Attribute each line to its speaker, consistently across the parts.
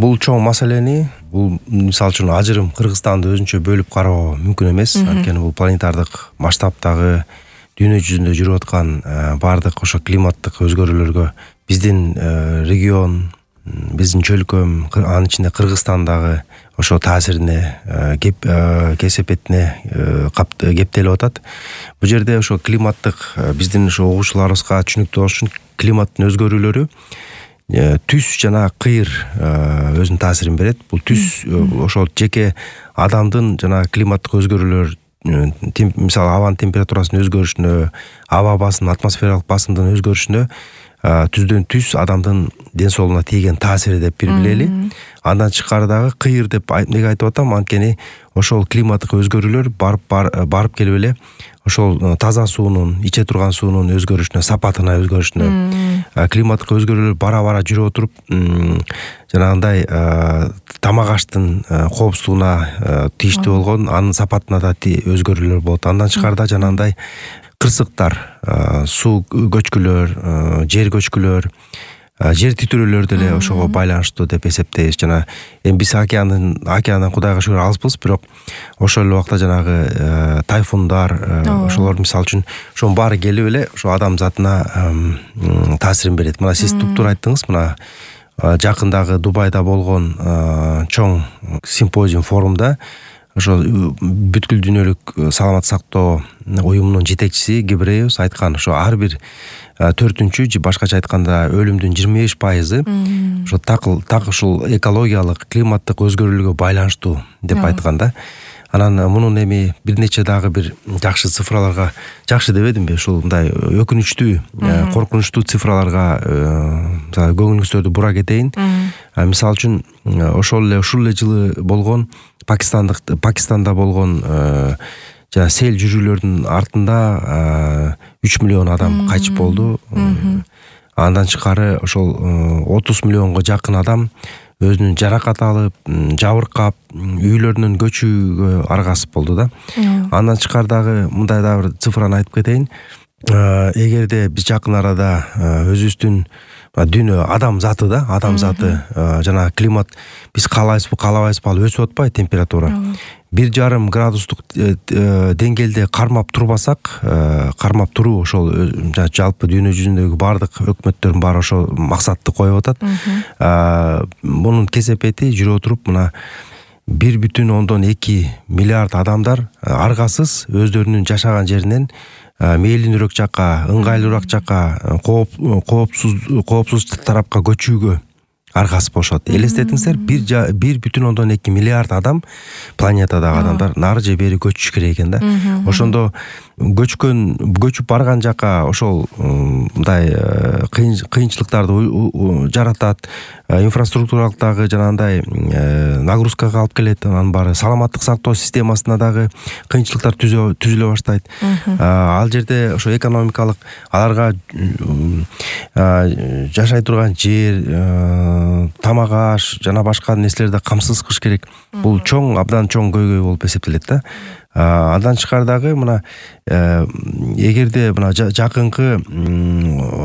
Speaker 1: Бул чоң маселени, бул мисалы үчүн ажырым Кыргызстанды өзүнчө бөлүп кароо мүмкүн эмес. Анткени бул планетардык масштабтагы дүйнө жүзүндө жүрүп аткан бардык ошо климаттык өзгөрүүлөргө биздин регион, биздин чөлкөм, анын ичинде Кыргызстандагы ошо таасирине кесепетине кептелип атат. Бул жерде ошо климаттык биздин ошо угуучуларыбызга түшүнүктүү болуш үчүн климаттын өзгөрүүлөрү түз жана кыйыр өзүнүн таасирин берет. Бул түз ошол жеке адамдын жана климаттык өзгөрүүлөр, мисалы абанын температурасынын өзгөрүшүнө, аба басымы, атмосфералык басымдын өзгөрүшүнө түздөн түз адамдын ден соолугуна тийген таасири деп билели. Андан тышкары дагы кыйыр деп эмнеге айтып атам? Анткени ошол климаттык өзгөрүүлөр барып келип эле ошол таза суунун, иче турган суунун өзгөрүшүнө, сапатына өзгөрүшүнө, климаттык өзгөрүүлөр бара жүрүп отуруп жанагындай тамак аштын коопсуздугуна тийиштүү болгон, анын сапатына да өзгөрүүлөр болот. Андан тышкары да жанагындай кырсыктар, суу көчкүлөр, жер көчкүлөр, жер титирөөлөр деле ошого байланыштуу деп эсептейбиз. Жана эми биз океандан Кудайга шүгүр алыспыз, бирок ошол эле убакта жанагы тайфундар, ошолор мисалы үчүн ошонун баары келип эле ошо адам затына таасирин берет. Мына сиз туптуура айттыңыз, мына жакындагы Дубайда болгон чоң симпозиум форумда ошо бүткүл дүйнөлүк саламаттык сактоо уюмунун жетекчиси Гебреус айткан, ошо ар бир 4-чү же башкача айтканда өлүмдүн 25% ошо так ушул экологиялык, климаттык өзгөрүүлөргө байланыштуу деп айткан да. Анан мунун эми бир нече дагы бир жакшы цифраларга, жакшы дебедимби, ушул мындай өкүнүчтүү, коркунучтуу цифраларга көңүлүңүздөрдү бура кетейин. Мисалы үчүн ушул эле жылы болгон Пакистанда болгон жана сел жүрүүлөрдүн артында 3 миллион адам кайтыш болду. Андан тышкары ошол 30 миллионго жакын адам өзүнүн жаракат алып, жабыркап, үйлөрүнөн көчүүгө аргасып болду да. Андан тышкары дагы мындай да бир цифраны айтып кетейин. Эгерде биз жакын арада өзүбүздүн дүйнө адам заты жана климат биз каалабайбызбы ал өсүп атпайбы температура. 1,5 градустук деңгээлде кармап турбасак, кармап туруу ошол жалпы дүйнө жүзүндөгү бардык өкмөттөрдүн баары ошол максатты коюп атат. Мунун кесепети жүрүп отуруп мына 1,2 миллиард адамдар аргасыз өздөрүнүн жашаган жеринен мээлинирөөк жакка, ыңгайлуураак жакка, коопсуз тарапка көчүүгө аргасып болушат. Элестетиңиздер, 1,2 миллиард адам, планетадагы адамдар нары же бери көчүш керек экен да. Ошондо көчүп барган жака ошол мындай кыйынчылыктарды жаратат, инфраструктуралык дагы жанагындай нагрузкага алып келет. Анын баары саламаттык сактоо системасына дагы кыйынчылыктар түзүлө баштайт. Ал жерде ошо экономикалык аларга жашай турган жер, тамак аш жана башка нерселерди камсыз кылыш керек. Бул абдан чоң көйгөй болуп эсептелет да. Андан тышкары дагы мына эгерде мына жакынкы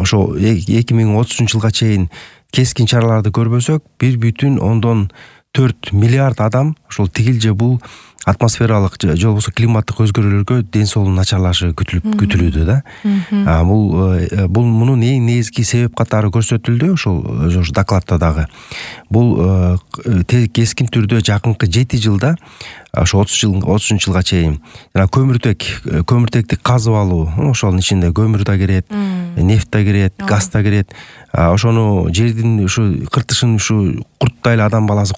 Speaker 1: ошо 2030-жылга чейин кескин чараларды көрбөсөк, 1,4 миллиард адам ошол тигил же бул атмосфералык же болбосо климаттык өзгөрүүлөргө ден соолугунун начарлашы күтүлүүдө да. Бул мунун эң негизги себеп катары көрсөтүлдү ошол докладта дагы. Бул кескин түрдө жакынкы 7 жылда ошо 30-жылга чейин жана көмүртекти казып алуу, ошонун ичинде көмүр да кирет, нефть да кирет, газ да кирет. Ошону жердин ушу кыртышын ушу курттай эле адам баласы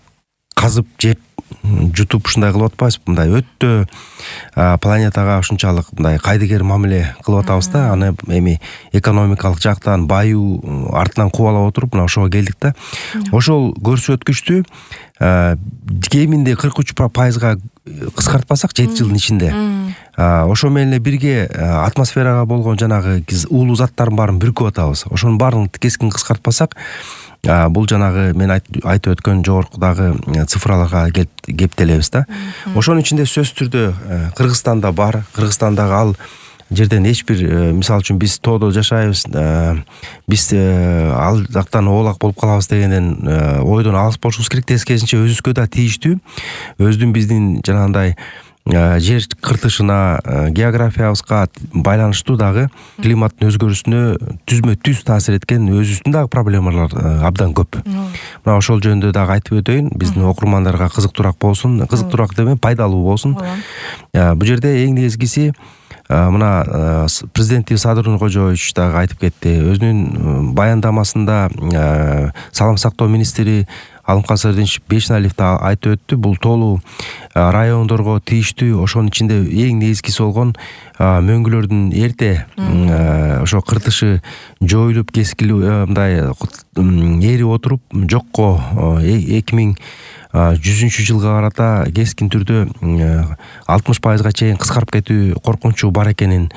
Speaker 1: казып жеп жутуп ушундай кылып атпайбызбы? Мындай өтө планетага ушунчалык мындай кайдыгер мамиле кылып атабыз да. Аны эми экономикалык жактан баюу артынан кубалап отуруп мына ошого келдик да. Ошол көрсөткүчтү кеминде 43%га кыскартпасак 7 жылдын ичинде, ошо менен эле бирге атмосферага болгон жанагы уулуу заттардын баарын бүркүп атабыз. Ошонун баарын кескин кыскартпасак, бул жанагы мен айтып өткөн жогоркудагы цифраларга кептелебиз да. Ошонун ичинде сөзсүз түрдө Кыргызстанда бар. Кыргызстандагы ал жерден эч бир мисалы үчүн биз тоодо жашайбыз, биз ал жактан оолак болуп калабыз дегенден ойдон алыс болушубуз керек. Тескерисинче өзүбүзгө да тийиштүү, биздин жанагындай жер кыртышына, географиябызга байланыштуу дагы климаттын өзгөрүүсүнө түзмө-түз таасир эткен өзүбүздүн дагы проблемалар абдан көп. Мына ошол жөнүндө дагы айтып өтөйүн, биздин окурмандарга кызыктуураак болсун, кызыктуураак демей, пайдалуу болсун. Бул жерде эң негизгиси мына президентибиз Садыр Нуркожоевич дагы айтып кетти. Өзүнүн баяндамасында салам сактоо министри Алымкан Сырдинович Бешналиев да айтып өттү. Бул тоолуу райондорго тийиштүү, ошонун ичинде эң негизгиси болгон мөңгүлөрдүн эрте ошо кыртышы жоюлуп, кескилүү мындай эрип отуруп жокко 2100-жылга карата кескин түрдө 60%-га чейин кыскарып кетүү коркунучу бар экенин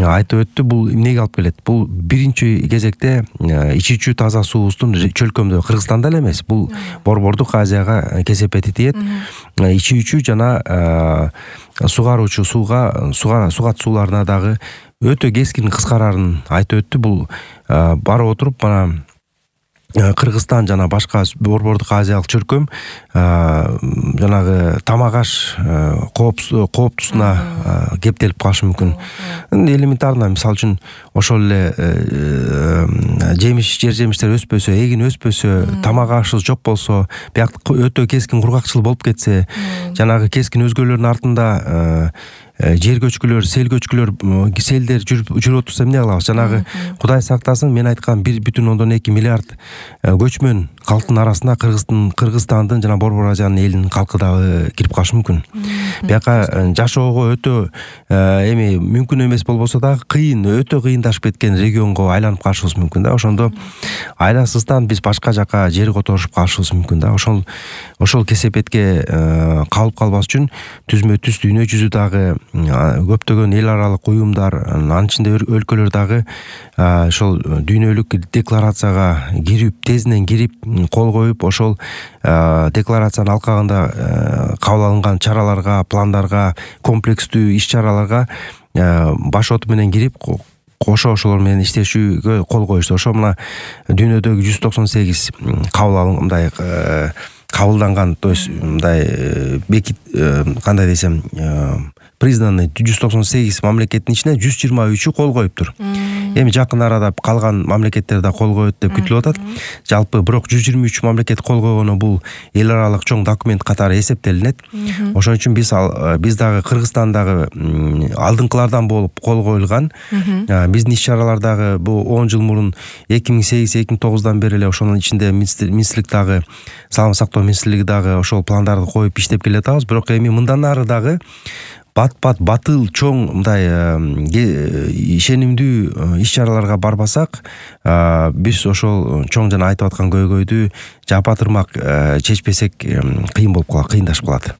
Speaker 1: айтып өттү. Бул эмнеге алып келет? Бул биринчи кезекте ичүүчү таза суубуздун чөлкөмдө, Кыргызстанда эле эмес, бул Борбордук Азияга кесепети тиет. Ичүүчү жана сугаруучу сугат сууларына дагы өтө кескин кыскарарын айтып өттү. Бул барып отуруп мана Кыргызстан жана башка Борбордук Азиялык чөлкөм жанагы тамак аш кооптусуна кептелип калышы мүмкүн. Элементарно, мисалы үчүн ошол эле жер жемиштер өспөсө, эгин өспөсө, тамак ашыбыз жок болсо, бияк өтө кескин кургакчыл болуп кетсе, жанагы кескин өзгөрүүлөрдүн артында жер көчкүлөр, сел көчкүлөр, селдер жүрүп отурса эмне кылабыз? Жанагы Кудай сактасын, мен айткан 1,2 миллиард көчмөн калктын арасына Кыргызстандын жана Борбор Азиянын элинин калкы дагы кирип калышы мүмкүн. Бияка жашоого өтө эми мүмкүн эмес болбосо дагы кыйын, өтө кыйындашып кеткен регионго айланып калышыбыз мүмкүн да. Ошондо айласыздан биз башка жака жер которушуп калышыбыз мүмкүн да. Ошол кесепетке калып калбас үчүн түзмө-түз дүйнө жүзү дагы көптөгөн эл аралык уюмдар, анын ичинде өлкөлөр дагы ошол дүйнөлүк декларацияга тезинен кирип, кол коюп, ошол декларациянын алкагында кабыл алынган чараларга, пландарга, комплекстүү иш-чараларга баш оту менен кирип, ошолор менен иштешүүгө кол коюшту. Ошо мына дүйнөдөгү 198 кабылданган, то есть мындай кандай десем, признанный 198 мамлекеттин ичинен 123 кол коюптур. Эми жакын арада калган мамлекеттер да кол коет деп күтүлүп атат. Жалпы бирок 123 мамлекет кол койгону бул эл аралык чоң документ катары эсептелинет. Ошон үчүн биз дагы Кыргызстандагы алдыңкылардан болуп кол коюлган. Биздин иш-чаралар дагы бул 10 жыл мурун 2008-2009 бери эле ошонун ичинде министрлик дагы, саламат сактоо министрлиги дагы ошол пландарды коюп иштеп келе жатабыз. Бирок эми мындан ары дагы бат-бат батыл чоң мындай ишенимдүү иш-чараларга барбасак, биз ошол чоң жана айтып аткан көйгөйдү жапа тырмак чечпесек кыйын болуп калат, кыйындашып калат.